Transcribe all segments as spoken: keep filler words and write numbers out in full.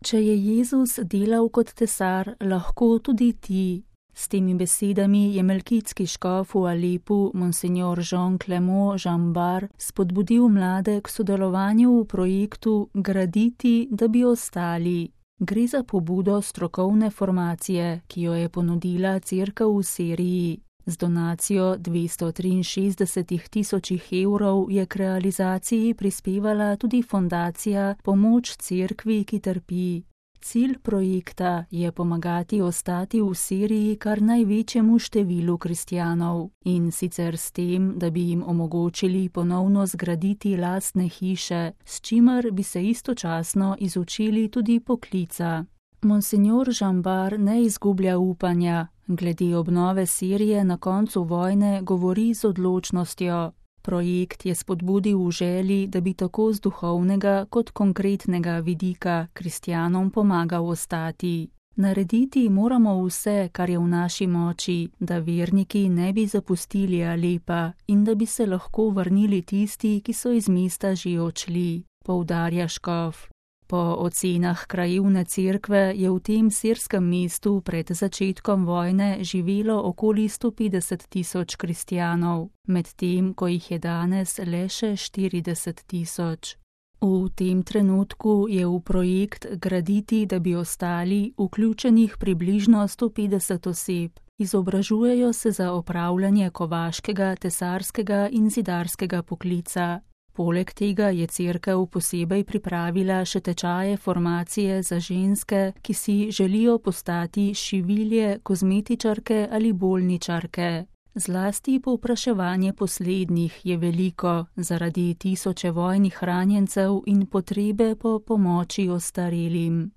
Če je Jezus delal kot tesar, lahko tudi ti. S temi besedami je melkitski škof v Alepu, monsignor Jean Clément Jeanbart, spodbudil mlade k sodelovanju v projektu Graditi, da bi ostali. Gre za pobudo strokovne formacije, ki jo je ponudila cerkev v Siriji. Z donacijo dvesto triinšestdeset tisočih evrov je k realizaciji prispevala tudi fondacija Pomoč cerkvi, ki trpi. Cilj projekta je pomagati ostati v Siriji kar največjemu številu kristjanov, in sicer s tem, da bi jim omogočili ponovno zgraditi lastne hiše, s čimer bi se istočasno izučili tudi poklica. Monsignor Jeanbart ne izgublja upanja, glede obnove Sirije na koncu vojne govori z odločnostjo. Projekt je spodbudil v želji, da bi tako z duhovnega kot konkretnega vidika kristjanom pomagal ostati. Narediti moramo vse, kar je v naši moči, da verniki ne bi zapustili Alepa in da bi se lahko vrnili tisti, ki so iz mesta že odšli, poudarja škof. Po ocenah krajevne cerkve je v tem sirskem mestu pred začetkom vojne živelo okoli sto petdeset tisoč kristjanov, medtem ko jih je danes le še štirideset tisoč. V tem trenutku je v projekt Graditi, da bi ostali, vključenih približno sto petdeset oseb. Izobražujejo se za opravljanje kovaškega, tesarskega in zidarskega poklica. Poleg tega je cerkev posebej pripravila še tečaje formacije za ženske, ki si želijo postati šivilje, kozmetičarke ali bolničarke. Zlasti povpraševanje poslednjih je veliko zaradi tisoče vojnih ranjencev in potrebe po pomoči ostarelim.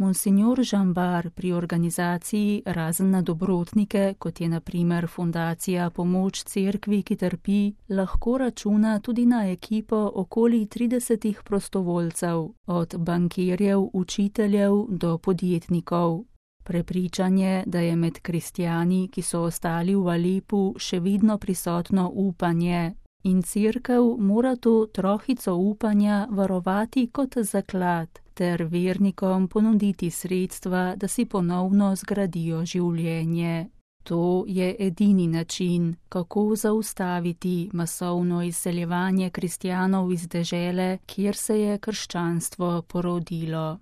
Monsignor Jeanbart pri organizaciji razen na dobrotnike, kot je na primer fundacija Pomoč cerkvi, ki trpi, lahko računa tudi na ekipo okoli tridesetih prostovoljcev, od bankirjev, učiteljev do podjetnikov. Prepričan je, da je med kristjani, ki so ostali v Alepu, še vedno prisotno upanje. In cerkev mora to trohico upanja varovati kot zaklad, ter vernikom ponuditi sredstva, da si ponovno zgradijo življenje. To je edini način, kako zaustaviti masovno izseljevanje kristjanov iz dežele, kjer se je krščanstvo porodilo.